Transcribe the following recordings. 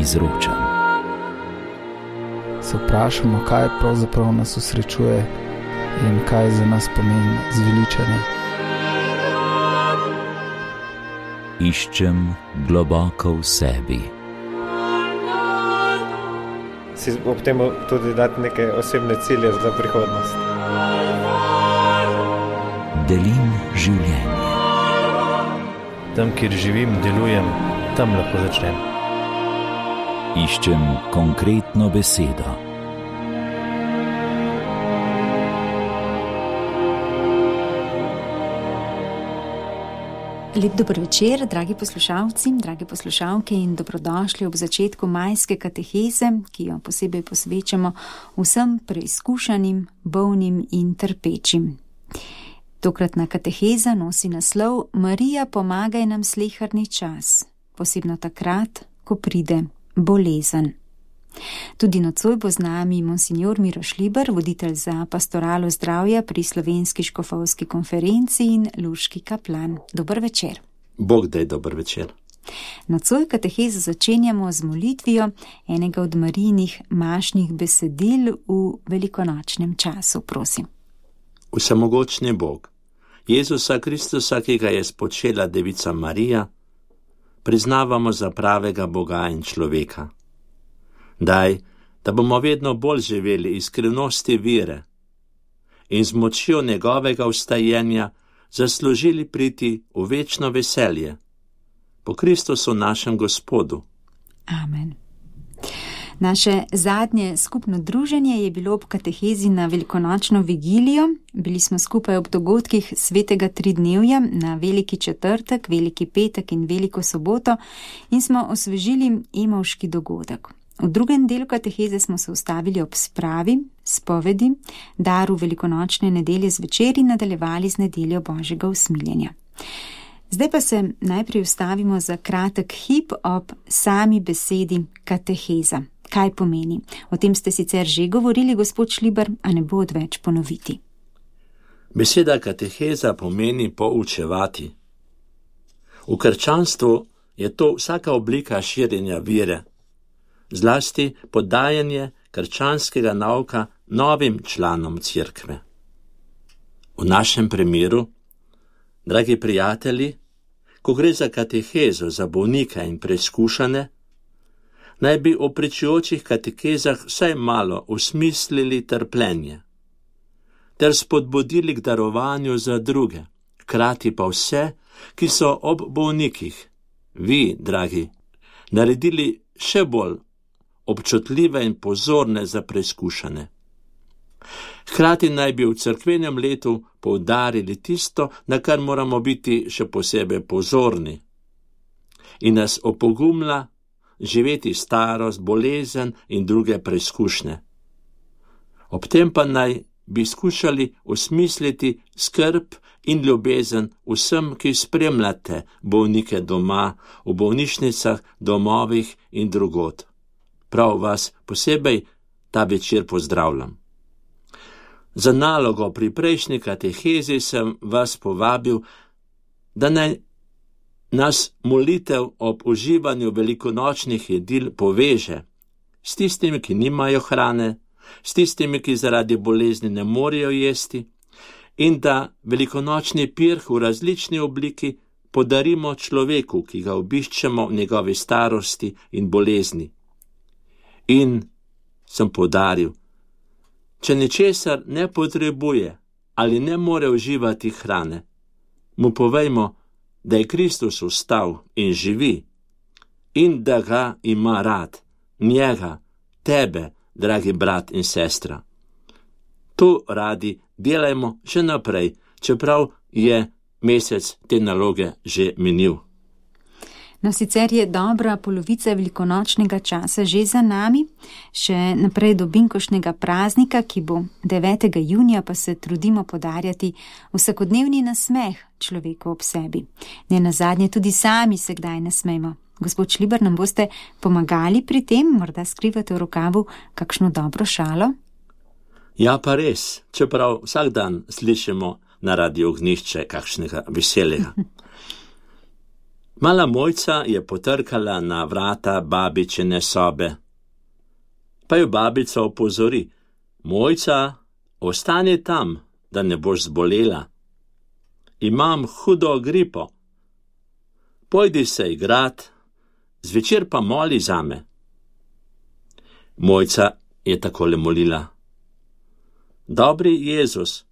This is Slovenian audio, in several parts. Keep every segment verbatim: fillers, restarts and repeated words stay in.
izročam. Se vprašamo, kaj pravzaprav nas osrečuje in kaj za nas pomeni zveličanje. Iščem globoko v sebi. Si ob tem tudi dati neke osebne cilje za prihodnost. Delim življenje. Tam, kjer živim, delujem, tam lahko začnem. Iščem konkretno besedo. Lep dober večer, dragi poslušalci, dragi poslušalke in dobrodošli ob začetku majske kateheze, ki jo posebej posvečamo vsem preizkušanim, bolnim in trpečim. Tokratna kateheza nosi naslov Marija, pomagaj nam sleherni čas, posebno takrat, ko pride bolezen. Tudi nocoj bo z nami monsignor Miroš Liber, voditelj za pastoralo zdravja pri Slovenski škofovski konferenci in luški kaplan. Dober večer. Bog daj dober večer. Nocoj katehezo začenjamo z molitvijo enega od Marijinih mašnih besedil v velikonočnem času, prosim. Vsemogočni Bog, Jezusa Kristusa, ki ga je spočela devica Marija, priznavamo za pravega Boga in človeka. Daj, da bomo vedno bolj živeli iz skrivnosti vire in z močjo njegovega vstajenja zaslužili priti v večno veselje. Po Kristusu našem Gospodu. Amen. Naše zadnje skupno druženje je bilo ob katehezi na velikonočno vigilijo. Bili smo skupaj ob dogodkih svetega tridnevja na veliki četrtek, veliki petek in veliko soboto in smo osvežili emavški dogodek. V drugem delu kateheze smo se ustavili ob spravi, spovedi, daru velikonočne nedelje zvečer in nadaljevali z nedeljo Božjega usmiljenja. Zdaj pa se najprej ustavimo za kratek hip ob sami besedi kateheza. Kaj pomeni? O tem ste sicer že govorili, gospod Šliber, a ne bo odveč ponoviti. Beseda kateheza pomeni poučevati. V krščanstvu je to vsaka oblika širjenja vire, zlasti podajanje krščanskega nauka novim članom cerkve. V našem primeru, dragi prijatelji, ko gre za katehezo za bolnika in preizkušane, naj bi o pričujočih katekezah vsaj malo usmislili trpljenje, ter spodbudili k darovanju za druge, hkrati pa vse, ki so ob bolnikih, vi, dragi, naredili še bolj občutljive in pozorne za preizkušane. Hkrati naj bi v cerkvenem letu poudarili tisto, na kar moramo biti še posebej pozorni, in nas opogumla živeti starost, bolezen in druge preizkušnje. Ob tem pa naj bi skušali osmisliti skrb in ljubezen vsem, ki spremljate bolnike doma, v bolnišnicah, domovih in drugod. Prav vas posebej ta večer pozdravljam. Za nalogo pri prejšnji katehezi sem vas povabil, da naj nas molitev ob uživanju velikonočnih jedil poveže s tistimi, ki nimajo hrane, s tistimi, ki zaradi bolezni ne morejo jesti, in da velikonočni pirh v različni obliki podarimo človeku, ki ga obiščemo v njegovi starosti in bolezni. In sem poudaril, če ničesar ne potrebuje ali ne more uživati hrane, mu povejmo, da je Kristus vstal in živi in da ga ima rad, njega, tebe, dragi brat in sestra. To radi delajmo še naprej, čeprav je mesec te naloge že minil. No, sicer je dobra polovica velikonočnega časa že za nami, še naprej do binkošnjega praznika, ki bo devetega junija, pa se trudimo podarjati vsakodnevni nasmeh človeku ob sebi. Ne nazadnje tudi sami se kdaj nasmejmo. Gospod Šliber, nam boste pomagali pri tem, morda skrivate v rokavu kakšno dobro šalo? Ja, pa res, čeprav vsak dan slišimo na Radio Ognjišče kakšnega veselega. Mala Mojca je potrkala na vrata babičine sobe. Pa jo babica opozori: Mojca, ostani tam, da ne boš zbolela. Imam hudo gripo. Pojdi se igrat, zvečer pa moli zame. Mojca je takole molila: Dobri Jezus,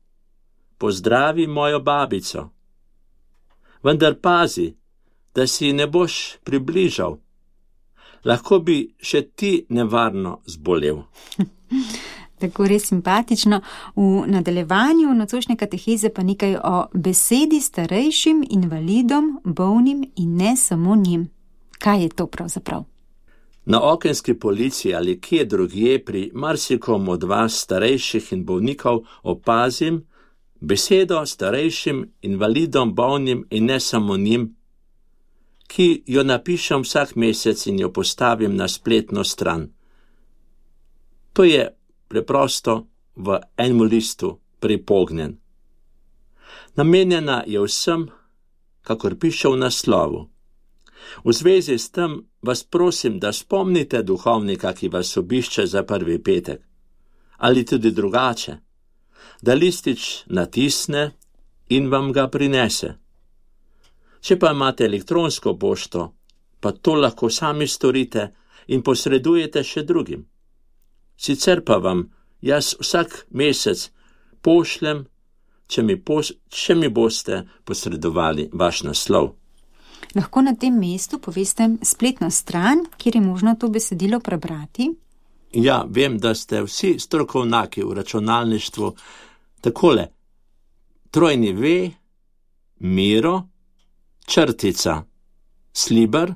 pozdravi mojo babico. Vendar pazi, da si ne boš približal. Lahko bi še ti nevarno zbolel. Tako res simpatično. V nadaljevanju nocojšnje kateheze pa nekaj o besedi starejšim invalidom, bolnim in ne samo njim. Kaj je to pravzaprav? Na okenski polici ali kje drugje pri marsikom od vas starejših in bolnikov opazim besedo starejšim invalidom, bolnim in ne samo njim, ki jo napišem vsak mesec in jo postavim na spletno stran. To je preprosto v enem listu pripognjen. Namenjena je vsem, kakor piše v naslovu. V zvezi s tem vas prosim, da spomnite duhovnika, ki vas obišče za prvi petek, ali tudi drugače, da listič natisne in vam ga prinese. Če pa imate elektronsko pošto, pa to lahko sami storite in posredujete še drugim. Sicer pa vam jaz vsak mesec pošljem, če mi, pos, če mi boste posredovali vaš naslov. Lahko na tem mestu poveste spletno stran, kjer je možno to besedilo prebrati? Ja, vem, da ste vsi strokovnjaki v računalništvu. Takole, trojni v, miro, črtica, sliber,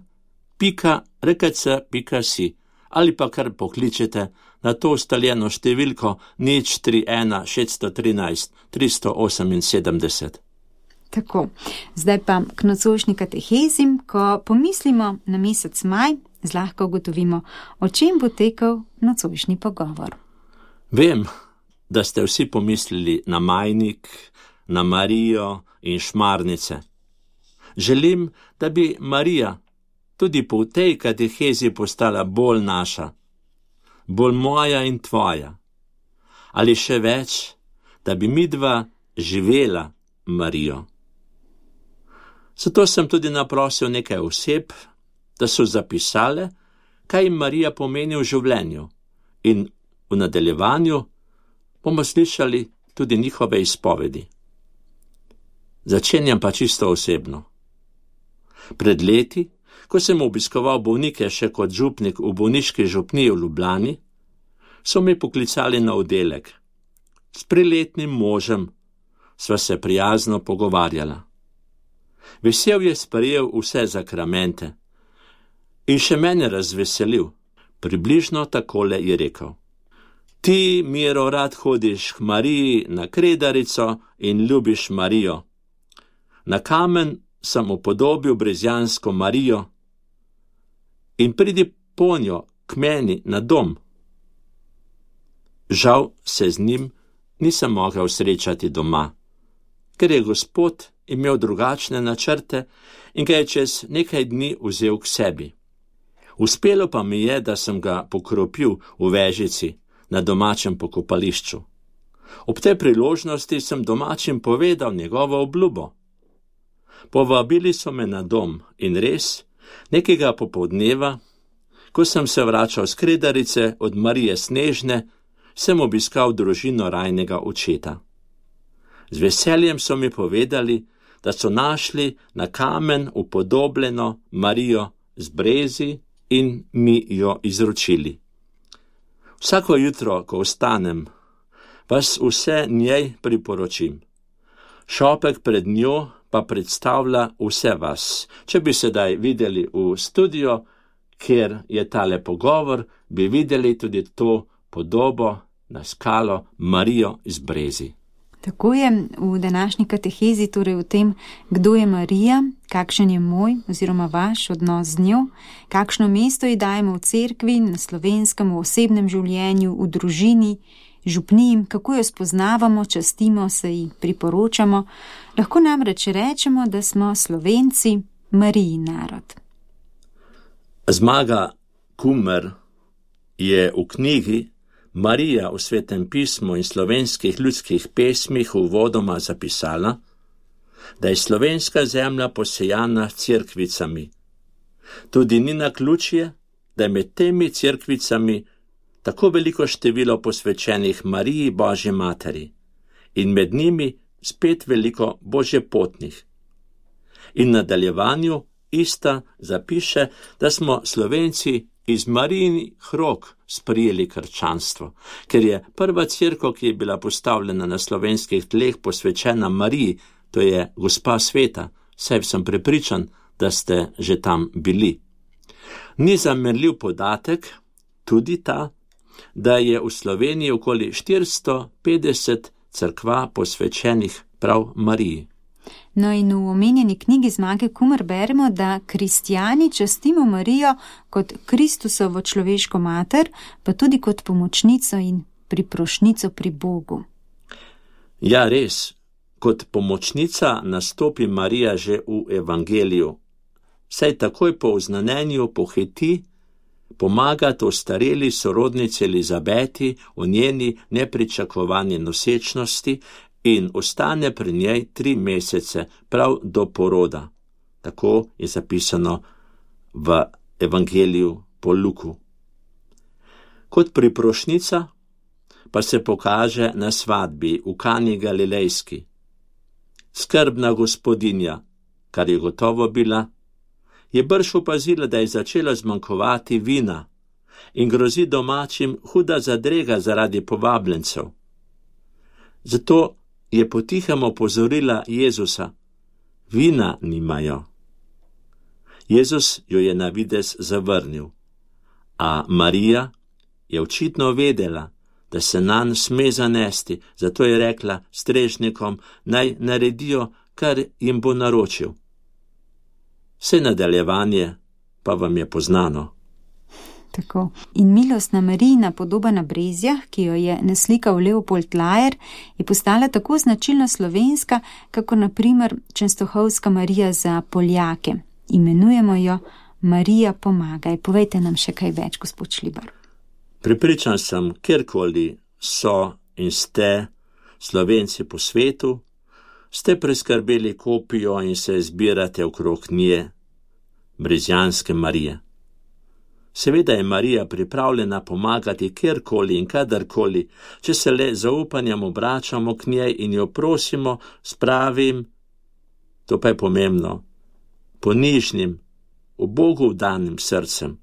pika, rkc, pika si, ali pa kar pokličete na to ustaljeno številko nič tri ena šest tri tri tri osem sedem. Tako, zdaj pa k nocojšnji katehezi, ko pomislimo na mesec maj, zlahka ugotovimo, o čem bo tekel nocojšnji pogovor. Vem, da ste vsi pomislili na majnik, na Marijo in šmarnice. Želim, da bi Marija tudi po tej katehezi postala bolj naša, bolj moja in tvoja. Ali še več, da bi midva živela Marijo. Zato sem tudi naprosil nekaj oseb, da so zapisale, kaj jim Marija pomeni v življenju, in v nadaljevanju bomo slišali tudi njihove izpovedi. Začenjam pa čisto osebno. Pred leti, ko sem obiskoval bolnike še kot župnik v bolniški župniji v Ljubljani, so me poklicali na oddelek. S priletnim možem sva se prijazno pogovarjala. Vesel je sprejel vse zakramente in še mene razveselil. Približno takole je rekel: Ti, Miro, rad hodiš k Mariji na Kredarico in ljubiš Marijo. Na kamen sem upodobil brezjansko Marijo in pridi ponjo k meni na dom. Žal se z njim nisem mogel srečati doma, ker je Gospod imel drugačne načrte in ga je čez nekaj dni vzel k sebi. Uspelo pa mi je, da sem ga pokropil v Vežici na domačem pokopališču. Ob tej priložnosti sem domačim povedal njegovo obljubo. Povabili so me na dom in res, nekega popoldneva, ko sem se vračal s Kredarice od Marije Snežne, sem obiskal družino rajnega očeta. Z veseljem so mi povedali, da so našli na kamen upodobljeno Marijo z brezi in mi jo izročili. Vsako jutro, ko vstanem, vas vse njej priporočim. Šopek pred njo pa predstavlja vse vas. Če bi sedaj videli v studio, kjer je tale pogovor, bi videli tudi to podobo na skalo Marijo iz brezi. Tako je v današnji katehezi, torej v tem, kdo je Marija, kakšen je moj oziroma vaš odnos z njo, kakšno mesto ji dajemo v cerkvi, na slovenskem, v osebnem življenju, v družini, župniji, kako jo spoznavamo, častimo, se ji priporočamo. Lahko namreč rečemo, da smo Slovenci Marijin narod. Zmaga Kumer je v knjigi Marija v Svetem pismu in slovenskih ljudskih pesmih uvodoma zapisala, da je slovenska zemlja posejana s cerkvicami. Tudi ni naključje, da je med temi cerkvicami tako veliko število posvečenih Mariji Božji materi in med njimi spet veliko božjepotnih. In v nadaljevanju ista zapiše, da smo Slovenci iz Marijinih rok sprijeli krščanstvo, ker je prva cerkev, ki je bila postavljena na slovenskih tleh, posvečena Mariji, to je Gospa sveta, saj sem prepričan, da ste že tam bili. Ni zamerljiv podatek tudi ta, da je v Sloveniji okoli štiristo petdeset cerkva posvečenih prav Mariji. No in v omenjeni knjigi Zmage Kumer beremo, da kristjani častimo Marijo kot Kristusovo človeško mater, pa tudi kot pomočnico in priprošnico pri Bogu. Ja, res, kot pomočnica nastopi Marija že v evangeliju. Saj takoj po oznanjenju pohiti pomagati ostareli sorodnici Elizabeti v njeni nepričakovani nosečnosti in ostane pri njej tri mesece, prav do poroda. Tako je zapisano v evangeliju po Luku. Kot priprošnica pa se pokaže na svadbi v Kani Galilejski. Skrbna gospodinja, kar je gotovo bila, je brž opazila, da je začela zmanjkovati vina in grozi domačim huda zadrega zaradi povabljencev. Zato je potihem opozorila Jezusa, vina nimajo. Jezus jo je na videz zavrnil, a Marija je očitno vedela, da se nanj sme zanesti, zato je rekla strežnikom, naj naredijo, kar jim bo naročil. Vse nadaljevanje pa vam je poznano. Tako. In milostna Marijina podoba na Brezjah, ki jo je naslikal Leopold Lajer, je postala tako značilno slovenska, kako na primer Čenstohovska Marija za Poljake. Imenujemo jo Marija pomagaj. Povejte nam še kaj več, gospod Šlibar. Prepričan sem, kjerkoli so in ste Slovenci po svetu, ste preskrbeli kopijo in se zbirate okrog nje, brezjanske Marije. Seveda je Marija pripravljena pomagati kjerkoli in kadarkoli, če se le zaupanjem obračamo k njej in jo prosimo s pravim, to pa je pomembno, ponižnim, v Bogu vdanim srcem.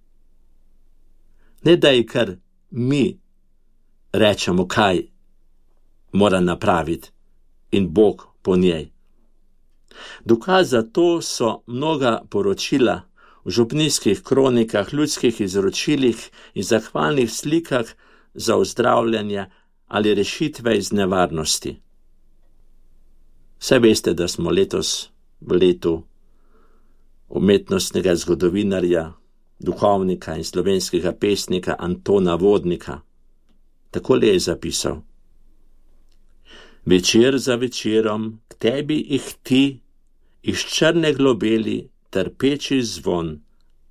Ne da ji kar mi rečemo, kaj mora napraviti in Bog po njej. Dokaz za to so mnoga poročila v župnijskih kronikah, ljudskih izročilih in zahvalnih slikah za ozdravljanje ali rešitve iz nevarnosti. Saj veste, da smo letos v letu umetnostnega zgodovinarja, duhovnika in slovenskega pesnika Antona Vodnika. Takole je zapisal. Večer za večerom k tebi ihti iz črne globeli trpeči zvon.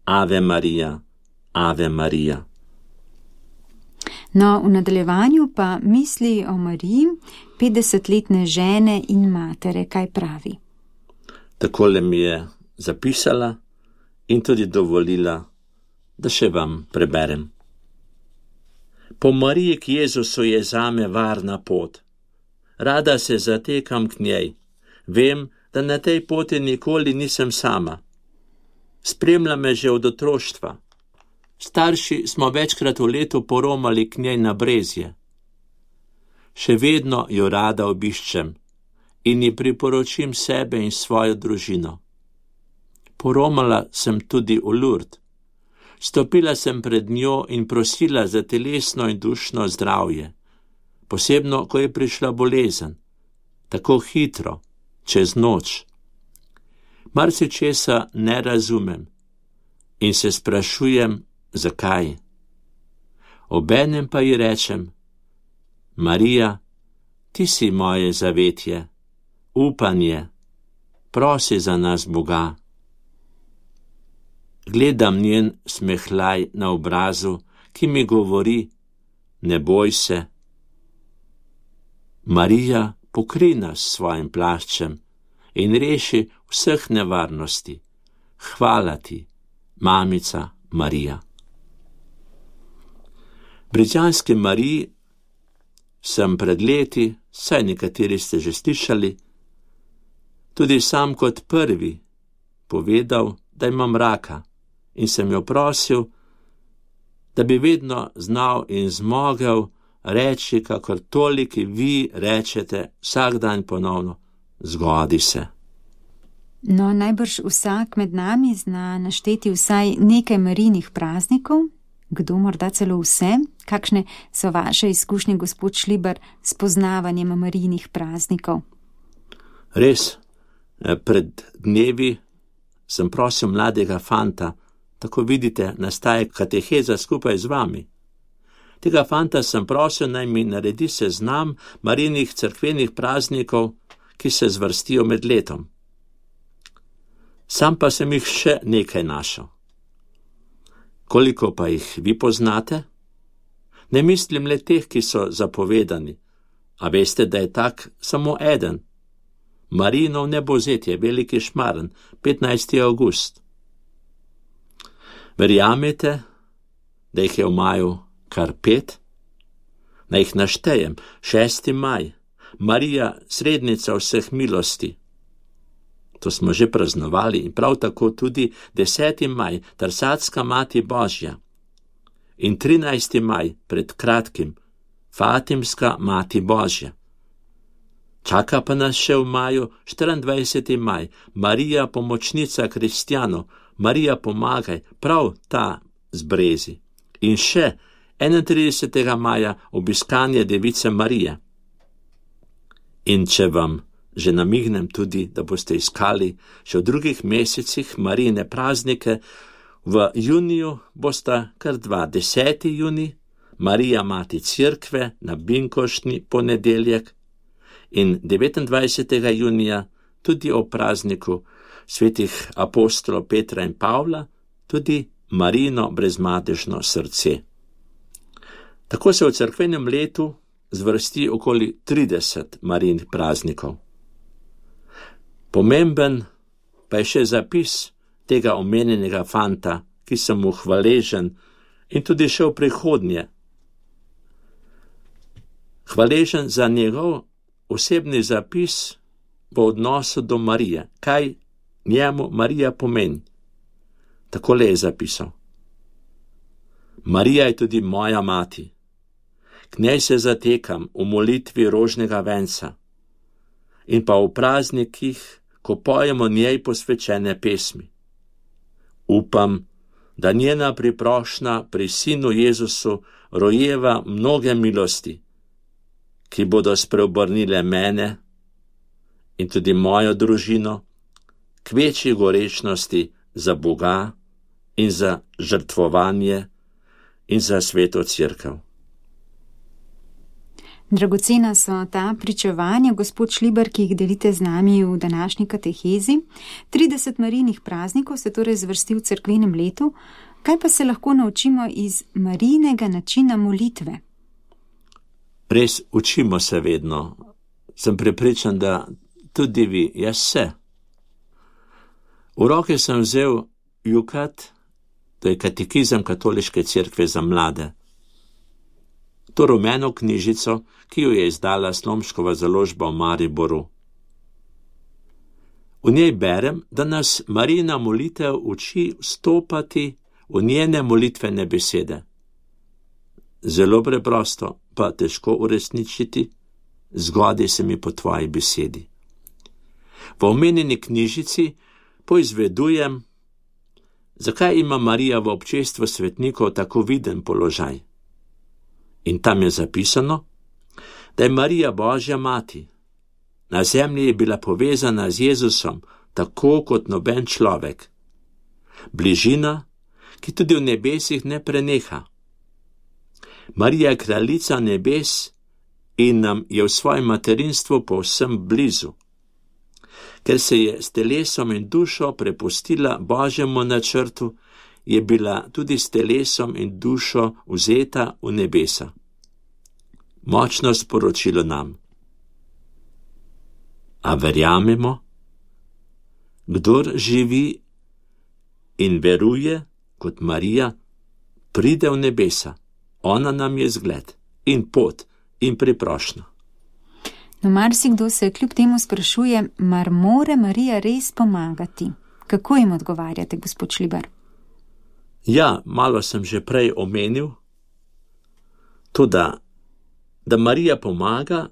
Ave Marija, Ave Marija. No, v nadaljevanju pa misli o Mariji, petdesetletne žene in matere, kaj pravi. Takole mi je zapisala in tudi dovolila, da še vam preberem. Po Mariji k Jezusu je zame varna pot. Rada se zatekam k njej. Vem, da na tej poti nikoli nisem sama. Spremlja me že od otroštva. Starši smo večkrat v letu poromali k njej na Brezje. Še vedno jo rada obiščem in ji priporočim sebe in svojo družino. Poromala sem tudi v Lurd. Stopila sem pred njo in prosila za telesno in dušno zdravje, posebno, ko je prišla bolezen, tako hitro, čez noč. Marsičesa ne razumem in se sprašujem, zakaj. Obenem pa ji rečem, Marija, ti si moje zavetje, upanje, prosi za nas Boga. gledam njen smehljaj na obrazu, ki mi govori, ne boj se. Marija pokrij nas s svojim plaščem in reši vseh nevarnosti. Hvala ti, mamica Marija. Britanski Mariji sem pred leti, saj nekateri ste že slišali, tudi sam kot prvi povedal, da imam raka in sem jo prosil, da bi vedno znal in zmogel reči, kakor toliki vi rečete vsak dan ponovno, zgodi se. No, najbrž vsak med nami zna našteti vsaj nekaj Marijinih praznikov, kdo morda celo vse. Kakšne so vaše izkušnje, gospod Šlibar, s poznavanjem Marijinih praznikov? Res, pred dnevi sem prosil mladega fanta, tako vidite, nastaja kateheza skupaj z vami. Tega fanta sem prosil, naj mi naredi seznam Marijinih cerkvenih praznikov, ki se zvrstijo med letom. Sam pa sem jih še nekaj našel. Koliko pa jih vi poznate? Ne mislim le teh, ki so zapovedani, a veste, da je tak samo eden. Marijinov nebozetje, veliki šmaren, petnajsti avgust. Verjamete, da jih je v maju kar pet? Naj jih naštejem. šesti maj, Marija, srednica vseh milosti. To smo že praznovali in prav tako tudi deseti maj, Trsatska mati Božja. In trinajsti maj, pred kratkim, Fatimska mati Božja. Čaka pa nas še v maju štiriindvajseti maj, Marija pomočnica kristjanov, Marija pomagaj, prav ta z brezi. In še enaintridesetega maja obiskanje Device Marije. In če vam že namignem tudi, da boste iskali še v drugih mesecih Marijine praznike, v juniju bosta kar dva, deseti junij, Marija mati Cerkve na binkoštni ponedeljek in devetindvajsetega junija tudi o prazniku svetih apostolov Petra in Pavla, tudi Marijino brezmadežno srce. Tako se v cerkvenem letu zvrsti okoli trideset Marijinih praznikov. Pomemben pa je še zapis tega omenjenega fanta, ki sem mu hvaležen in tudi še v prihodnje. Hvaležen za njegov osebni zapis v odnosu do Marije, kaj njemu Marija pomeni. Takole je zapisal. Marija je tudi moja mati. K njej se zatekam v molitvi rožnega venca in pa v praznikih, ko pojemo njej posvečene pesmi. Upam, da njena priprošnja pri sinu Jezusu rojeva mnoge milosti, ki bodo spreobrnile mene in tudi mojo družino k večji gorečnosti za Boga in za žrtvovanje in za sveto cerkev. Dragocena so ta pričevanja, gospod Šlibar, ki jih delite z nami v današnji katehezi. trideset Marijinih praznikov se torej zvrsti v cerkvenem letu. Kaj pa se lahko naučimo iz Marijinega načina molitve? Res učimo se vedno. Sem prepričan, da tudi vi, jaz se. V roke sem vzel Jukat, to je katekizem Katoliške cerkve za mlade. To rumeno knjižico, ki jo je izdala Slomškova založba v Mariboru. V njej berem, da nas Marijina molitev uči vstopati v njene molitvene besede. Zelo preprosto, pa težko uresničiti, zgodi se mi po tvoji besedi. V omenjeni knjižici poizvedujem, zakaj ima Marija v občestvu svetnikov tako viden položaj. In tam je zapisano, da je Marija Božja mati. Na zemlji je bila povezana z Jezusom, tako kot noben človek. Bližina, ki tudi v nebesih ne preneha. Marija je kraljica nebes in nam je v svojem materinstvu povsem blizu. Ker se je s telesom in dušo prepustila Božjemu načrtu, je bila tudi s telesom in dušo vzeta v nebesa. Močno sporočilo nam. A verjamemo? Kdor živi in veruje, kot Marija, pride v nebesa. Ona nam je zgled in pot in priprošnja. No, marsikdo se kljub temu sprašuje, mar more Marija res pomagati? Kako jim odgovarjate, gospod Šlibar? Ja, malo sem že prej omenil, to da, da Marija pomaga,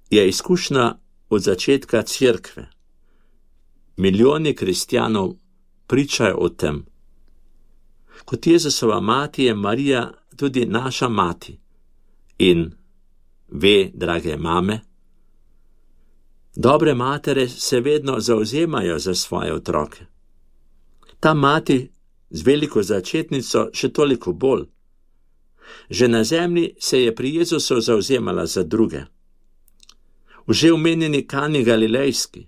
je izkušnja od začetka cerkve. Milijoni kristjanov pričajo o tem. Kot Jezusova mati je Marija tudi naša mati. In ve, drage mame, dobre matere se vedno zauzemajo za svoje otroke. Ta mati z veliko začetnico še toliko bolj. Že na zemlji se je pri Jezusu zauzemala za druge. V že omenjeni Kani Galilejski,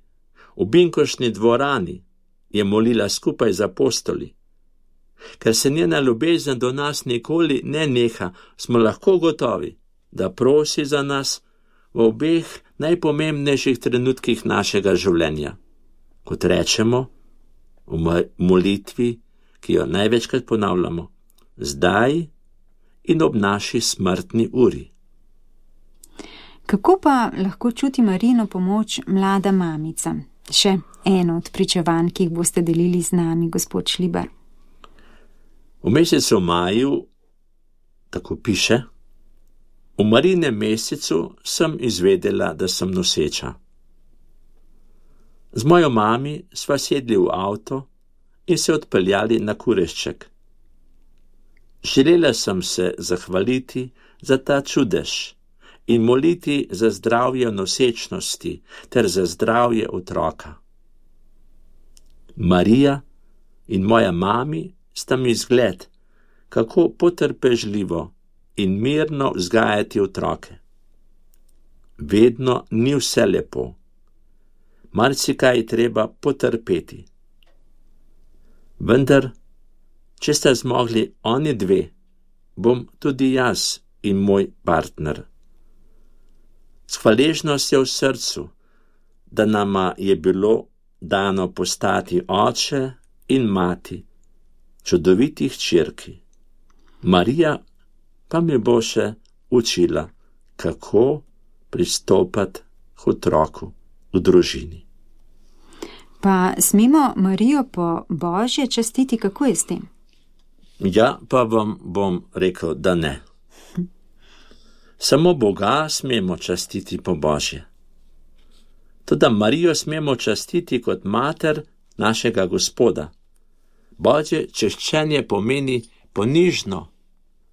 v binkošni dvorani je molila skupaj z apostoli. Ker se njena ljubezen do nas nikoli ne neha, smo lahko gotovi, da prosi za nas v obeh najpomembnejših trenutkih našega življenja. Kot rečemo v molitvi, ki jo največkrat ponavljamo, zdaj in ob naši smrtni uri. Kako pa lahko čuti Marijino pomoč mlada mamica? Še eno od pričevanj, ki jih boste delili z nami, gospod Šlibar. V mesecu maju, tako piše, v Marijinem mesecu sem izvedela, da sem noseča. Z mojo mami sva sedli v avto in se odpeljali na Kurešček. Želela sem se zahvaliti za ta čudež in moliti za zdravje nosečnosti ter za zdravje otroka. Marija in moja mami sta mi zgled, kako potrpežljivo in mirno vzgajati otroke. Vedno ni vse lepo. Marsikaj je treba potrpeti. Vendar, če sta zmogli oni dve, bom tudi jaz in moj partner. S hvaležnostjo v srcu, da nama je bilo dano postati oče in mati čudovitih hčerki. Marija pa mi bo še učila, kako pristopati k otroku v družini. Pa smemo Marijo po Božje častiti, kako je s tem? Ja, pa vam bom rekel, da ne. Samo Boga smemo častiti po Božje. Toda Marijo smemo častiti kot mater našega Gospoda. Božje češčenje pomeni ponižno,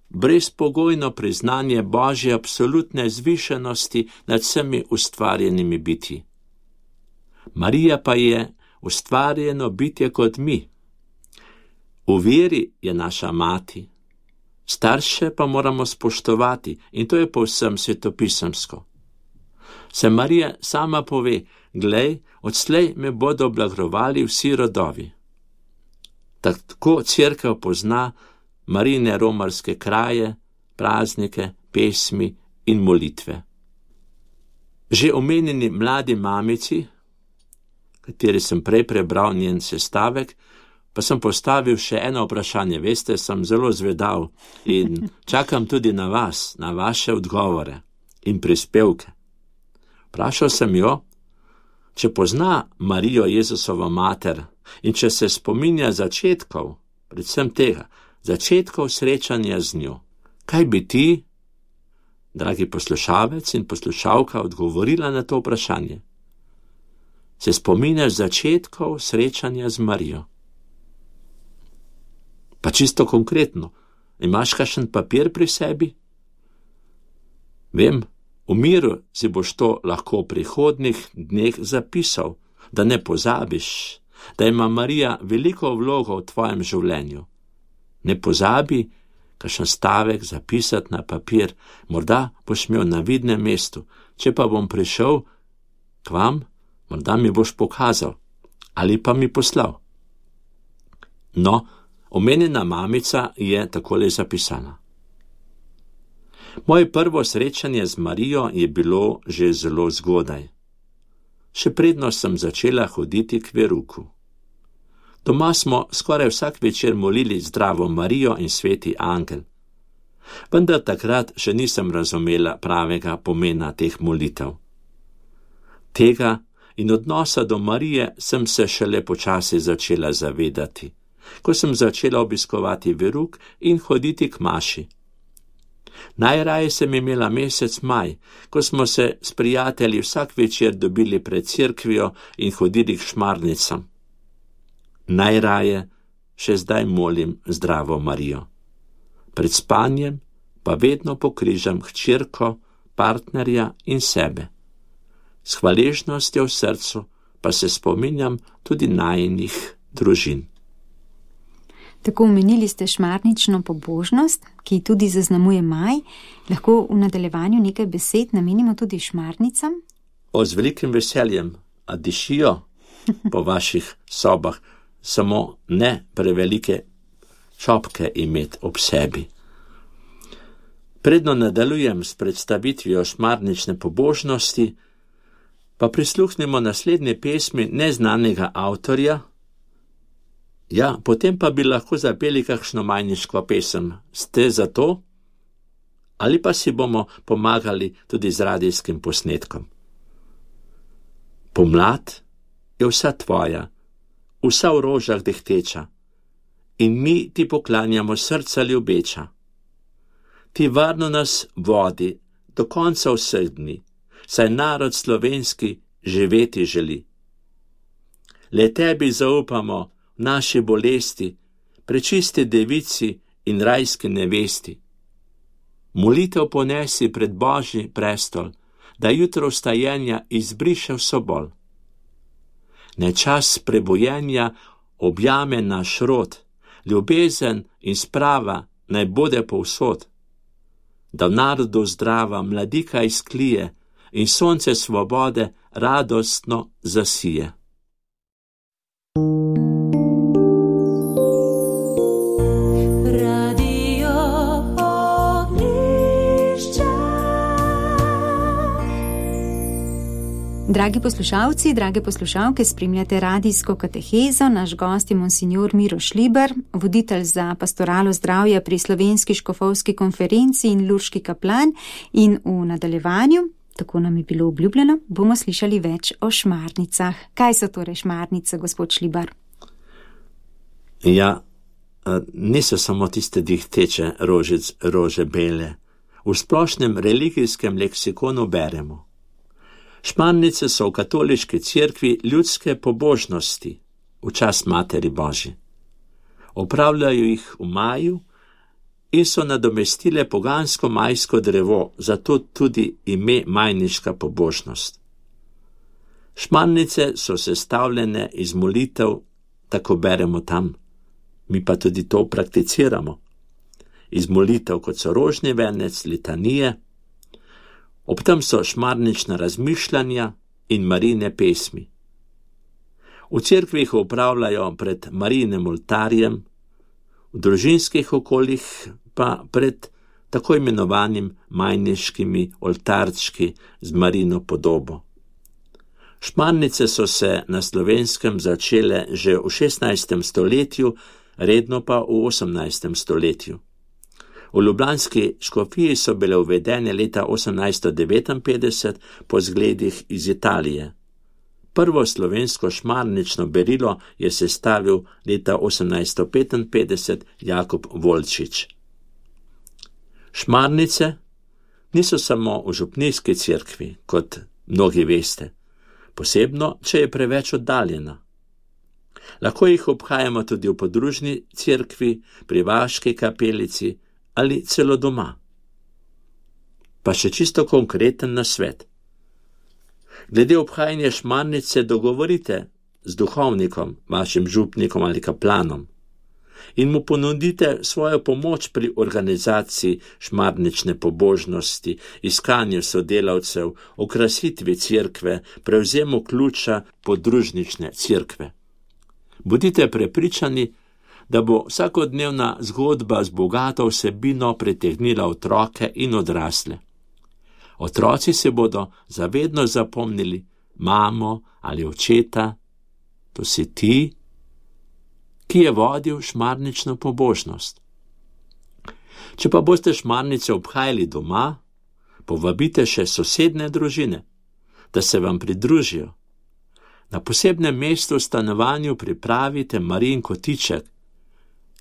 brezpogojno priznanje Božje absolutne zvišenosti nad vsemi ustvarjenimi bitji. Marija pa je ustvarjeno bitje kot mi. V veri je naša mati. Starše pa moramo spoštovati in to je povsem svetopisemsko. Se Marija sama pove, glej, odslej me bodo blagrovali vsi rodovi. Tako cerkev pozna Marijine romarske kraje, praznike, pesmi in molitve. Že omenjeni mladi mamici, kateri sem prej prebral njen sestavek, pa sem postavil še eno vprašanje. Veste, sem zelo zvedav in čakam tudi na vas, na vaše odgovore in prispevke. Vprašal sem jo, če pozna Marijo Jezusovo mater in če se spominja začetkov, predvsem tega, začetkov srečanja z njo. Kaj bi ti, dragi poslušalec in poslušalka, odgovorila na to vprašanje? Se spominjaš začetkov srečanja z Marijo? Pa čisto konkretno, imaš kakšen papir pri sebi? Vem, v miru si boš to lahko v prihodnih dneh zapisal, da ne pozabiš, da ima Marija veliko vlogo v tvojem življenju. Ne pozabi kakšen stavek zapisati na papir, morda boš imel na vidnem mestu, če pa bom prišel k vam, morda mi boš pokazal ali pa mi poslal. No, Omenjena mamica je takole zapisala. Moje prvo srečanje z Marijo je bilo že zelo zgodaj. Še predno sem začela hoditi k veruku. Doma smo skoraj vsak večer molili Zdravo Marijo in Sveti Angel. Vendar takrat še nisem razumela pravega pomena teh molitev. Tega in odnosa do Marije sem se šele počasi začela zavedati, ko sem začela obiskovati veruk in hoditi k maši. Najraje sem imela mesec maj, ko smo se s prijatelji vsak večer dobili pred cerkvijo in hodili k šmarnicam. Najraje še zdaj molim Zdravo Marijo. Pred spanjem pa vedno pokrižam hčerko, partnerja in sebe. S hvaležnostjo v srcu pa se spominjam tudi najinih družin. Tako omenili ste šmarnično pobožnost, ki tudi zaznamuje maj. Lahko v nadaljevanju nekaj besed namenimo tudi šmarnicam? O, z velikim veseljem, a dišijo po vaših sobah, samo ne prevelike šopke imeti ob sebi. Predno nadaljujem s predstavitvijo šmarnične pobožnosti, pa prisluhnimo naslednje pesmi neznanega avtorja. Ja, potem pa bi lahko zapeli kakšno majniško pesem. Ste za to? Ali pa si bomo pomagali tudi z radijskim posnetkom. Pomlad je vsa tvoja, vsa v rožah dehteča, in mi ti poklanjamo srca ljubeča. Ti varno nas vodi do konca vseh dni, saj narod slovenski živeti želi. Le tebi zaupamo v naši bolesti, prečisti devici in rajski nevesti. Molitev ponesi pred Božji prestol, da jutro vstajenja izbriše vso bol. Naj čas prebojenja objame naš rod, ljubezen in sprava naj bode povsod, da v narodu zdrava mladika izklije in sonce svobode radostno zasije. Dragi poslušalci, drage poslušalke, spremljate radijsko katehezo. Naš gost je monsignor Miro Šlibar, voditelj za pastoralo zdravja pri Slovenski škofovski konferenci in lurški kaplan, in v nadaljevanju, tako nam je bilo obljubljeno, bomo slišali več o šmarnicah. Kaj so torej šmarnice, gospod Šlibar? Ja, niso samo tiste dihteče rožic, rože bele. V splošnem religijskem leksikonu beremo: šmarnice so v katoliški cerkvi ljudske pobožnosti v čast Materi Božji. Opravljajo jih v maju in so nadomestile pogansko majsko drevo, zato tudi ime majniška pobožnost. Šmarnice so sestavljene iz molitev, tako beremo tam, mi pa tudi to prakticiramo. Iz molitev, kot so rožni venec, litanije, ob tem so šmarnična razmišljanja in Marijine pesmi. V cerkvi jih upravljajo pred Marijinim oltarjem, v družinskih okoljih pa pred tako imenovanim majniškimi oltarčki z Marijino podobo. Šmarnice so se na Slovenskem začele že v šestnajstem stoletju, redno pa v osemnajstem stoletju. V ljubljanski škofiji so bile uvedene leta osemnajststo devetinpetdeset po zgledih iz Italije. Prvo slovensko šmarnično berilo je sestavil leta osemnajststo petinpetdeset Jakob Volčič. Šmarnice niso samo v župnijski cerkvi, kot mnogi veste, posebno, če je preveč oddaljena. Lahko jih obhajamo tudi v podružni cerkvi, pri vaški kapelici ali celo doma. Pa še čisto konkreten nasvet. Glede obhajanja šmarnice dogovorite z duhovnikom, vašim župnikom ali kaplanom, in mu ponudite svojo pomoč pri organizaciji šmarnične pobožnosti, iskanju sodelavcev, okrasitvi cerkve, prevzemu ključa podružnične cerkve. Bodite prepričani, da bo vsakodnevna zgodba z bogato vsebino pritegnila otroke in odrasle. Otroci se bodo zavedno zapomnili mamo ali očeta, to si ti, ki je vodil šmarnično pobožnost. Če pa boste šmarnice obhajali doma, povabite še sosedne družine, da se vam pridružijo. Na posebnem mestu v stanovanju pripravite Marijin kotiček,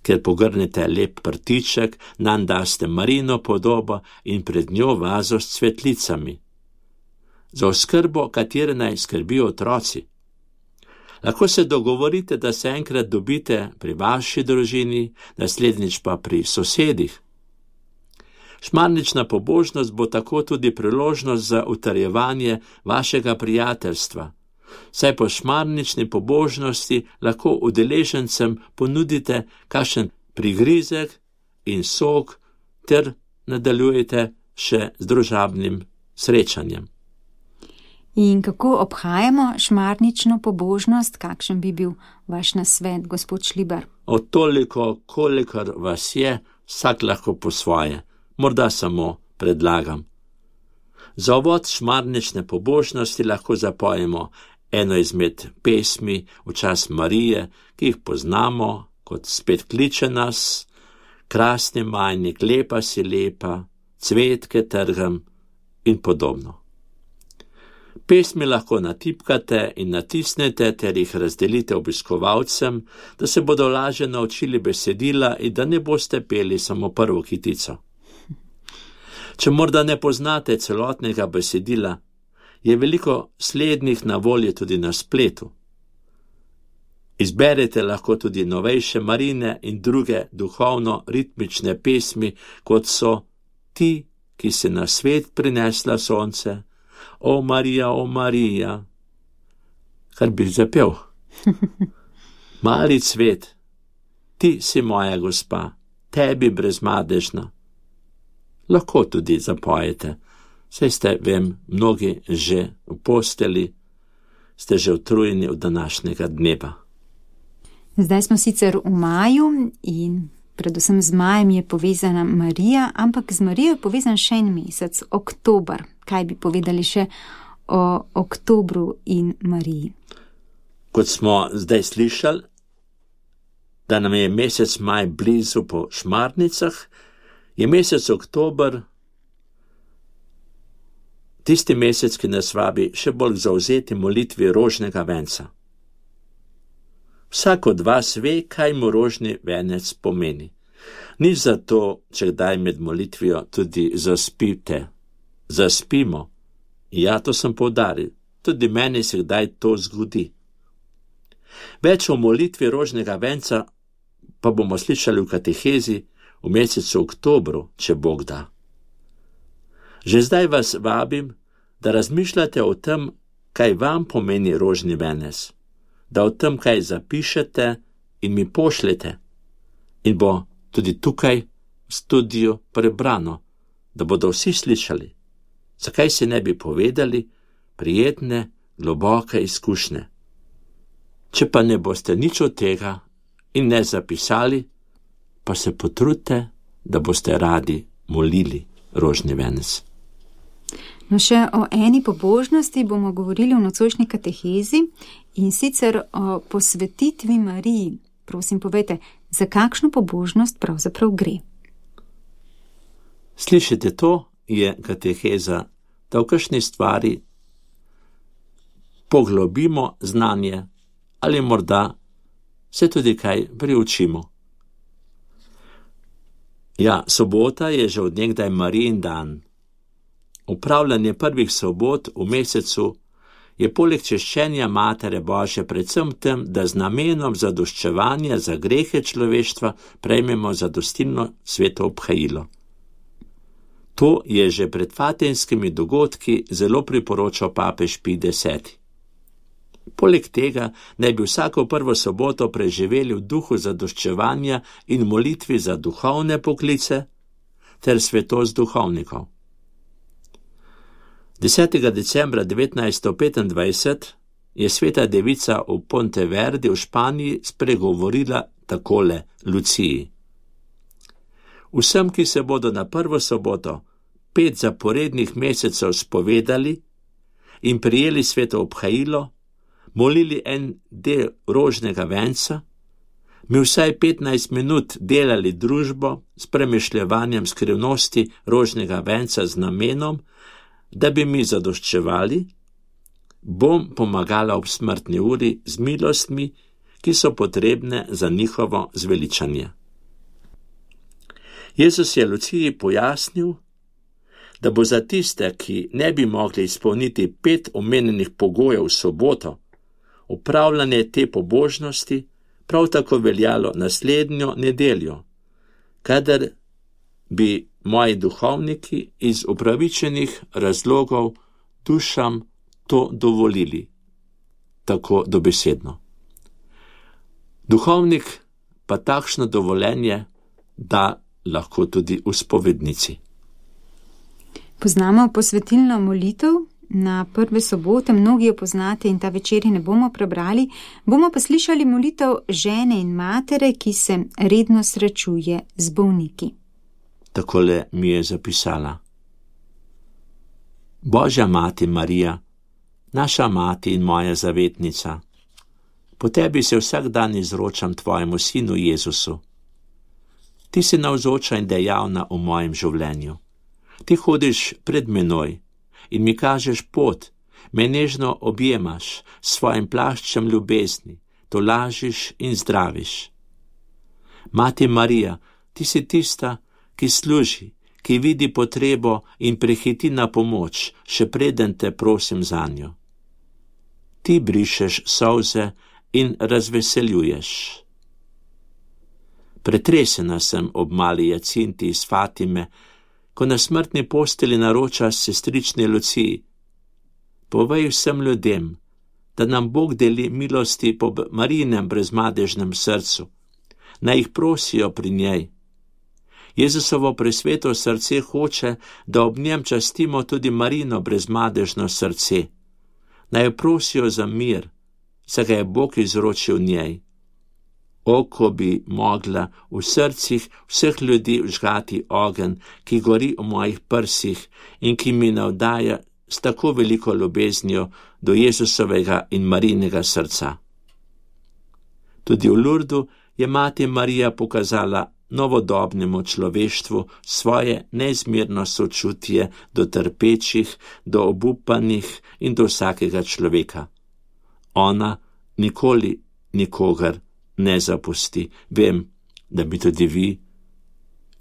ker pogrnete lep prtiček, nanj daste Marijino podobo in pred njo vazo s cvetlicami. Za oskrbo, katere naj skrbijo otroci. Lahko se dogovorite, da se enkrat dobite pri vaši družini, naslednjič pa pri sosedih. Šmarnična pobožnost bo tako tudi priložnost za utrjevanje vašega prijateljstva. Saj po šmarnični pobožnosti lahko udeležencem ponudite kakšen prigrizek in sok ter nadaljujete še z družabnim srečanjem. In kako obhajamo šmarnično pobožnost, kakšen bi bil vaš nasvet, gospod Šlibar? Od toliko, kolikor vas je, vsak lahko po svoje. Morda samo predlagam. Za uvod šmarnične pobožnosti lahko zapojemo eno izmed pesmi v čast Marije, ki jih poznamo, kot spet kliče nas, krasni majnik, lepa si lepa, cvetke trgam in podobno. Pesmi lahko natipkate in natisnete ter jih razdelite obiskovalcem, da se bodo lažje naučili besedila in da ne boste peli samo prvo kitico. Če morda ne poznate celotnega besedila, je veliko slednjih na voljo tudi na spletu. Izberete lahko tudi novejše Marine in druge duhovno-ritmične pesmi, kot so Ti, ki si na svet prinesla sonce, O Marija, o Marija, kar bi zapel. Mali cvet, ti si moja gospa, tebi brezmadežna. Lahko tudi zapojete, saj ste, vem, mnogi že v posteli, ste že utrujeni od današnjega dneva. Zdaj smo sicer v maju in predvsem z majem je povezana Marija, ampak z Marijo je povezan še en mesec, oktober. Kaj bi povedali še o oktobru in Mariji? Kot smo zdaj slišali, da nam je mesec maj blizu po šmarnicah, je mesec oktober tisti mesec, ki nas vabi še bolj zauzeti molitvi rožnega venca. Vsak od vas ve, kaj mu rožni venec pomeni. Ni zato, če kdaj med molitvijo tudi zaspite. Zaspimo. Ja, to sem poudaril. Tudi meni se kdaj to zgodi. Več o molitvi rožnega venca pa bomo slišali v katehezi v mesecu oktobru, če Bog da. Že zdaj vas vabim, da razmišljate o tem, kaj vam pomeni rožni venec, da o tem kaj zapišete in mi pošljete in bo tudi tukaj v studiu prebrano, da bodo vsi slišali. Zakaj se ne bi povedali prijetne, globoke izkušnje? Če pa ne boste nič od tega in ne zapisali, pa se potrudite, da boste radi molili rožni venec. No, še o eni pobožnosti bomo govorili v nocojšnji katehezi in sicer o posvetitvi Mariji. Prosim, povejte, za kakšno pobožnost pravzaprav gre? Slišite, to je kateheza, da v kakšni stvari poglobimo znanje ali morda se tudi kaj priučimo. Ja, sobota je že od nekdaj Marijin dan. Upravljanje prvih sobot v mesecu je poleg češčenja Matere Božje predvsem tem, da z namenom zadoščevanja za grehe človeštva prejmemo zadostilno sveto obhajilo. To je že pred fatimskimi dogodki zelo priporočal papež Pij deseti. Poleg tega naj bi vsako prvo soboto preživeli v duhu zadoščevanja in molitvi za duhovne poklice ter svetost duhovnikov. desetega decembra devetnajststo petindvajset je sveta devica v Ponteverdi v Španiji spregovorila takole Luciji. Vsem, ki se bodo na prvo soboto pet zaporednih mesecev spovedali in prijeli sveto obhajilo, molili en del rožnega venca, mi vsaj petnajst minut delali družbo s premišljevanjem skrivnosti rožnega venca z namenom, da bi mi zadoščevali, bom pomagala ob smrtni uri z milostmi, ki so potrebne za njihovo zveličanje. Jezus je Luciji pojasnil, da bo za tiste, ki ne bi mogli izpolniti pet omenjenih pogojev v soboto, opravljanje te pobožnosti prav tako veljalo naslednjo nedeljo, kadar bi moji duhovniki iz upravičenih razlogov dušam to dovolili, tako dobesedno. Duhovnik pa takšno dovoljenje da lahko tudi v spovednici. Poznamo posvetilno molitev na prve sobote, mnogi jo poznate in ta večeri ne bomo prebrali, bomo pa slišali molitev žene in matere, ki se redno srečuje z bolniki. Takole mi je zapisala. Božja mati Marija, naša mati in moja zavetnica, po tebi se vsak dan izročam tvojemu sinu Jezusu. Ti si navzoča in dejavna v mojem življenju. Ti hodiš pred menoj in mi kažeš pot, me nežno objemaš s svojim plaščem ljubezni, tolažiš in zdraviš. Mati Marija, ti si tista, ki služi, ki vidi potrebo in prehiti na pomoč, še preden te prosim zanjo. Ti brišeš solze in razveseljuješ. Pretresena sem ob mali Jacinti iz Fatime, ko na smrtni posteli naroča sestrični Luciji. Povej vsem ljudem, da nam Bog deli milosti po Marijinem brezmadežnem srcu, naj jih prosijo pri njej. Jezusovo presveto srce hoče, da ob njem častimo tudi Marijino brezmadežno srce. Naj jo prosijo za mir, saj ga je Bog izročil njej. O, ko bi mogla v srcih vseh ljudi vžgati ogenj, ki gori v mojih prsih in ki mi navdaja s tako veliko ljubeznijo do Jezusovega in Marijinega srca. Tudi v Lurdu je mati Marija pokazala novodobnemu človeštvu svoje neizmerno sočutje do trpečih, do obupanih in do vsakega človeka. Ona nikoli nikogar ne zapusti. Vem, da bi tudi vi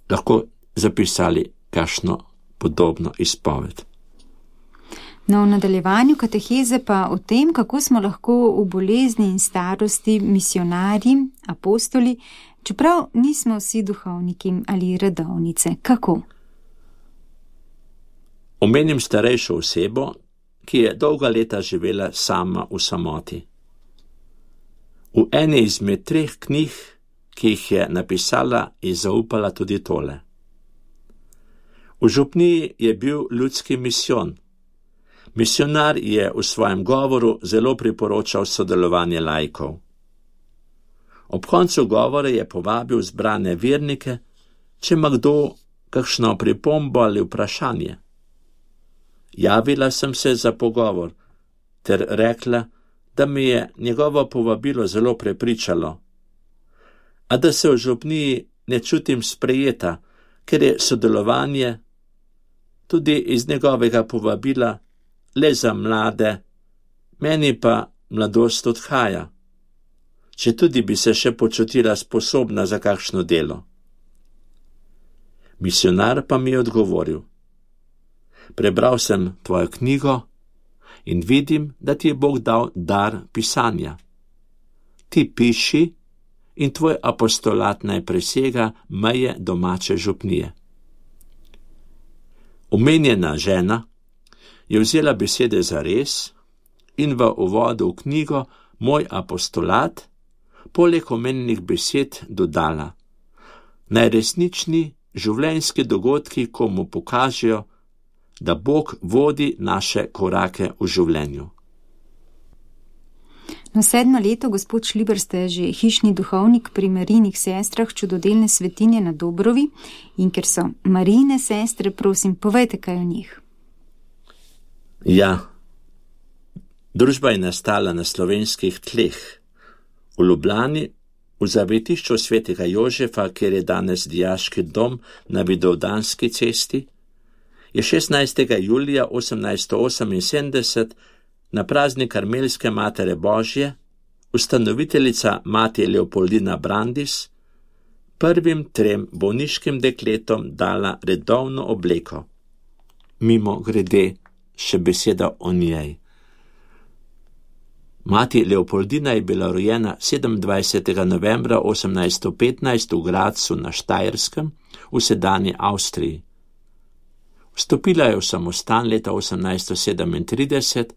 lahko zapisali kakšno podobno izpoved. No, v nadaljevanju kateheze pa o tem, kako smo lahko v bolezni in starosti misionarji, apostoli, čeprav nismo vsi duhovniki ali redovnice. Kako? Omenim starejšo osebo, ki je dolga leta živela sama v samoti. V eni izmed treh knjig, ki jih je napisala, je zaupala tudi tole. V župniji je bil ljudski misijon. Misionar je v svojem govoru zelo priporočal sodelovanje laikov. Ob koncu govora je povabil zbrane vernike, če ima kdo kakšno pripombo ali vprašanje. Javila sem se za pogovor, ter rekla, da me je njegovo povabilo zelo prepričalo, a da se v župniji ne čutim sprejeta, ker je sodelovanje tudi iz njegovega povabila le za mlade, meni pa mladost odhaja, če tudi bi se še počutila sposobna za kakšno delo. Misionar pa mi je odgovoril. Prebral sem tvojo knjigo in vidim, da ti je Bog dal dar pisanja. Ti piši in tvoj apostolat naj presega meje domače župnije. Omenjena žena je vzela besede za res in v uvodu v knjigo Moj apostolat poleg omenjenih besed dodala: Najresnični življenjski dogodki komu pokažejo, da Bog vodi naše korake v življenju. No, sedmo leto, gospod Šliber, ste že hišni duhovnik pri Marijinih sestrah čudodelne svetinje na Dobrovi in ker so Marijine sestre, prosim, povejte kaj o njih. Ja, družba je nastala na slovenskih tleh. V Ljubljani, v zavetišču svetega Jožefa, kjer je danes dijaški dom na Vidovdanski cesti, je šestnajstega julija osemnajststo oseminsedemdeset na praznik Karmelske Matere Božje ustanoviteljica mati Leopoldina Brandis prvim trem bolniškim dekletom dala redovno obleko. Mimo grede še beseda o njej. Mati Leopoldina je bila rojena sedemindvajsetega novembra osemnajststo petnajst v Gradcu na Štajerskem v sedanji Avstriji. Vstopila je v samostan leta osemnajststo sedemintrideset,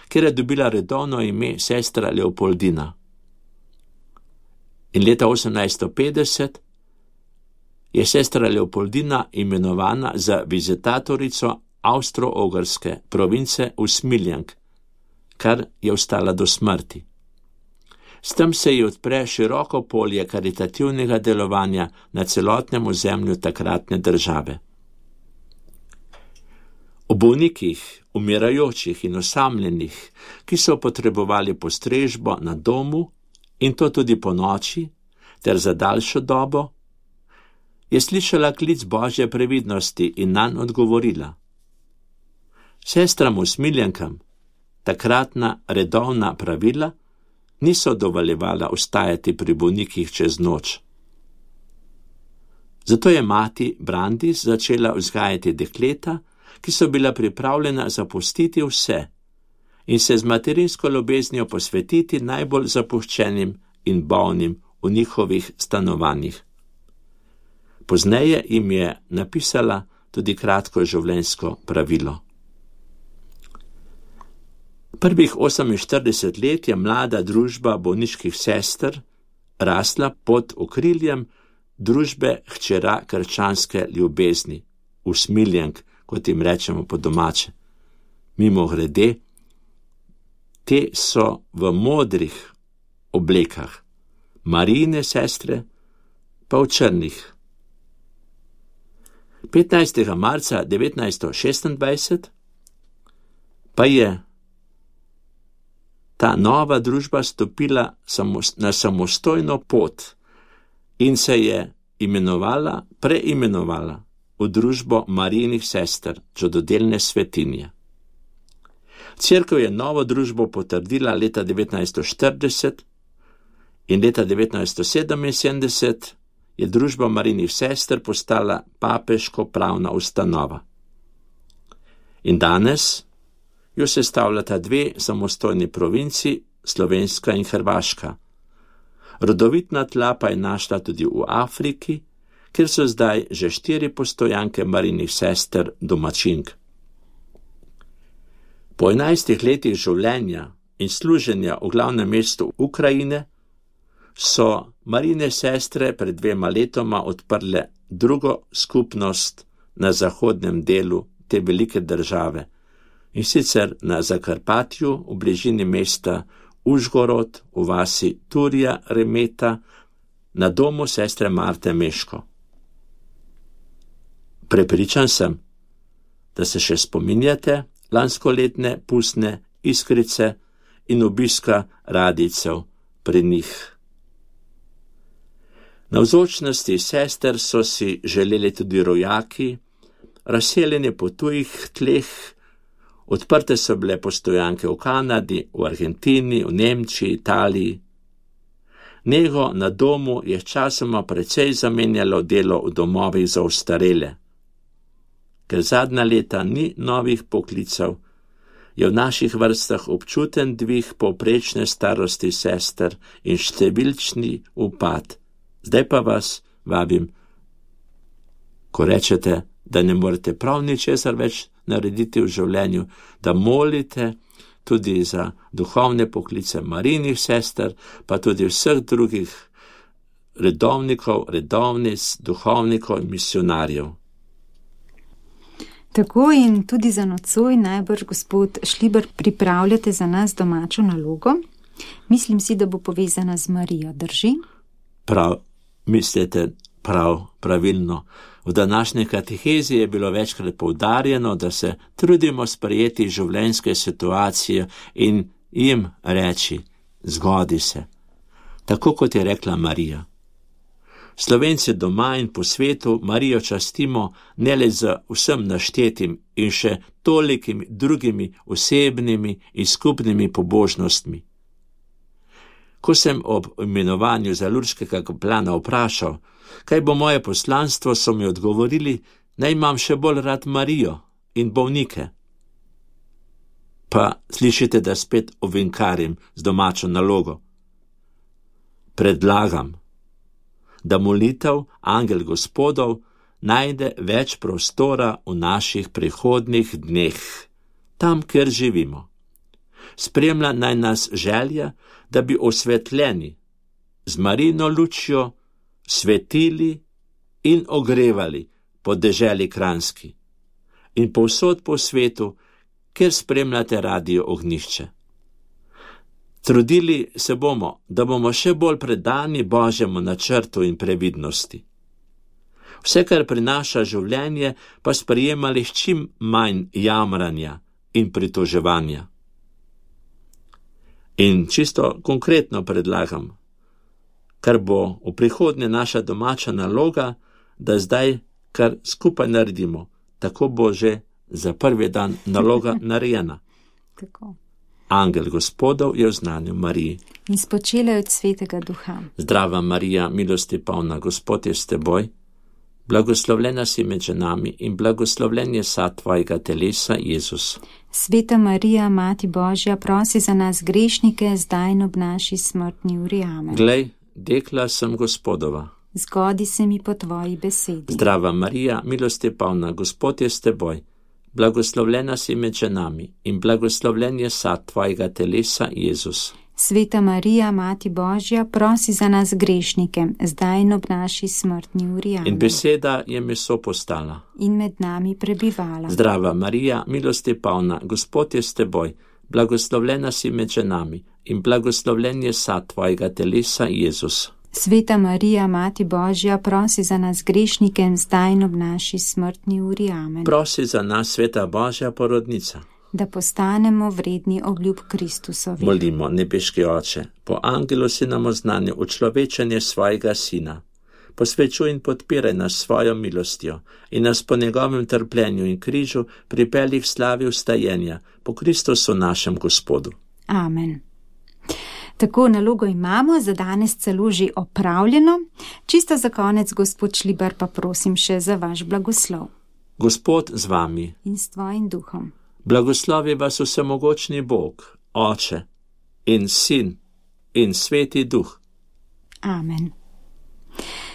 kjer je dobila redovno ime sestra Leopoldina. In leta osemnajststo petdeset je sestra Leopoldina imenovana za vizitatorico Avstro-Ogrske province Usmiljank, kar je ostala do smrti. S tem se ji odpre široko polje karitativnega delovanja na celotnem ozemlju takratne države. O bolnikih, umirajočih in osamljenih, ki so potrebovali postrežbo na domu in to tudi po noči ter za daljšo dobo, je slišala klic Božje previdnosti in nanj odgovorila. Sestram Usmiljankam takratna redovna pravila niso dovoljevala ostajati pri bolnikih čez noč. Zato je mati Brandis začela vzgajati dekleta, ki so bila pripravljena zapustiti vse in se z materinsko ljubeznijo posvetiti najbolj zapuščenim in bolnim v njihovih stanovanjih. Pozneje jim je napisala tudi kratko življenjsko pravilo. Prvih oseminštirideset let je mlada družba bolniških sester rasla pod okriljem družbe hčera krščanske ljubezni, Usmiljank, kot jim rečemo po domače. Mimo grede, te so v modrih oblekah, Marijine sestre pa v črnih. petnajstega marca devetnajststo šestindvajset pa je ta nova družba stopila na samostojno pot in se je imenovala, preimenovala v družbo Marijinih sester, čudodelne svetinje. Cerkev je novo družbo potrdila leta devetnajststo štirideset in leta devetnajststo sedeminsedemdeset je družba Marijinih sester postala papeško pravna ustanova. In danes jo sestavljata dve samostojni provinci, Slovenska in Hrvaška. Rodovitna tla pa je našla tudi v Afriki, kjer so zdaj že štiri postojanke Marijinih sester domačink. Po enajstih letih življenja in služenja v glavnem mestu Ukrajine so Marijine sestre pred dvema letoma odprle drugo skupnost na zahodnem delu te velike države, in sicer na Zakarpatju v bližini mesta Užgorod v vasi Turja Remeta na domu sestre Marte Meško. Prepričan sem, da se še spominjate lanskoletne pustne iskrice in obiska radijcev pri njih. Navzočnosti sester so si želeli tudi rojaki, razseljeni po tujih tleh, odprte so bile postojanke v Kanadi, v Argentini, v Nemčiji, Italiji. Nego na domu je časoma precej zamenjalo delo v domovih za ostarele. Ker zadnja leta ni novih poklicev, je v naših vrstah občuten dvig povprečne starosti sester in številčni upad. Zdaj pa vas vabim, ko rečete, da ne morete prav ničesar več narediti v življenju, da molite tudi za duhovne poklice Marijinih sester, pa tudi vseh drugih redovnikov, redovnic, duhovnikov in misionarjev. Tako in tudi za nocoj najbrž, gospod Šliber, pripravljate za nas domačo nalogo. Mislim si, da bo povezana z Marijo, drži? Prav, mislite prav, pravilno. V današnji katehezi je bilo večkrat poudarjeno, da se trudimo sprejeti življenjske situacije in jim reči, zgodi se. Tako kot je rekla Marija. Slovenci doma in po svetu Marijo častimo ne le z vsem naštetim in še tolikimi drugimi osebnimi in skupnimi pobožnostmi. Ko sem ob imenovanju za lurdskega kaplana vprašal, kaj bo moje poslanstvo, so mi odgovorili, naj imam še bolj rad Marijo in bolnike. Pa slišite, da spet ovinkarim z domačo nalogo. Predlagam, da molitev Angel Gospodov najde več prostora v naših prihodnjih dneh, tam, kjer živimo. Spremlja naj nas želja, da bi osvetljeni, z Marijino lučjo, svetili in ogrevali po deželi Kranjski in povsod po svetu, kjer spremljate Radio Ognjišče. Trudili se bomo, da bomo še bolj predani Božjemu načrtu in previdnosti. Vse, kar prinaša življenje, pa sprejemali s čim manj jamranja in pritoževanja. In čisto konkretno predlagam, kar bo v prihodnje naša domača naloga, da zdaj kar skupaj naredimo, tako bo že za prvi dan naloga narejena. Tako. Angel Gospodov je oznanil Mariji. In spočela od Svetega Duha. Zdrava Marija, milosti polna, Gospod je s teboj, blagoslovljena si med ženami in blagoslovljen je sad tvojega telesa, Jezus. Sveta Marija, Mati Božja, prosi za nas grešnike, zdaj in ob naši smrtni uri. Amen. Glej, dekla sem Gospodova. Zgodi se mi po tvoji besedi. Zdrava Marija, milosti polna, Gospod je s teboj, blagoslovljena si med ženami in blagoslovljen je sad tvojega telesa, Jezus. Sveta Marija, Mati Božja, prosi za nas grešnike, zdaj in ob naši smrtni uri. Amen. In beseda je meso postala. In med nami prebivala. Zdrava Marija, milosti polna, Gospod je s teboj, blagoslovljena si med ženami in blagoslovljen je sad tvojega telesa, Jezus. Sveta Marija, Mati Božja, prosi za nas grešnike, zdaj in ob naši smrtni uri. Amen. Prosi za nas, Sveta Božja porodnica, da postanemo vredni obljub Kristusovi. Molimo, nebeški Oče, po angelu si nam oznanil učlovečenje svojega Sina. Posvečuj in podpiraj nas svojo milostjo in nas po njegovem trpljenju in križu pripelji v slavi vstajenja po Kristusu našem Gospodu. Amen. Tako nalogo imamo, za danes celo že opravljeno. Čisto za konec, gospod Šlibar, pa prosim še za vaš blagoslov. Gospod z vami. In s tvojim duhom. Blagoslovi vas vsemogočni Bog, Oče in Sin in Sveti Duh. Amen.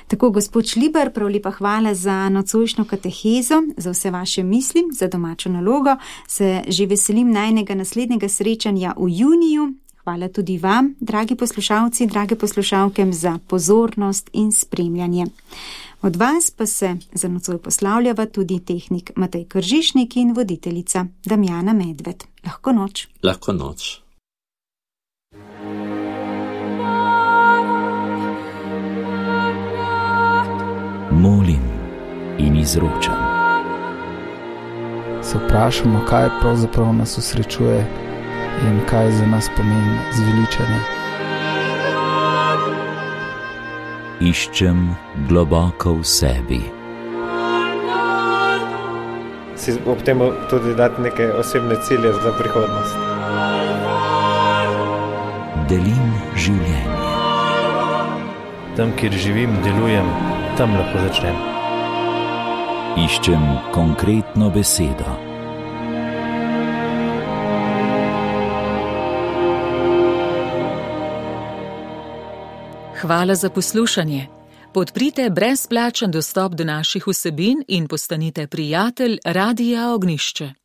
Tako, gospod Šlibar, prav lepa hvala za nocojšnjo katehezo, za vse vaše misli, za domačo nalogo. Se že veselim najnega naslednjega srečanja v juniju. Hvala tudi vam, dragi poslušalci, drage poslušalke, za pozornost in spremljanje. Od vas pa se za nocoj poslavljava tudi tehnik Matej Kržišnik in voditeljica Damjana Medved. Lahko noč. Lahko noč. Molim in izročam. Se vprašamo, kaj pravzaprav nas osrečuje in kaj za nas pomeni zveličanje. Iščem globoko v sebi. Si ob tem tudi dati neke osebne cilje za prihodnost. Delim življenje. Tam, kjer živim, delujem, tam lahko začnem. Iščem konkretno besedo. Hvala za poslušanje. Podprite brezplačen dostop do naših vsebin in postanite prijatelj Radia Ognjišče.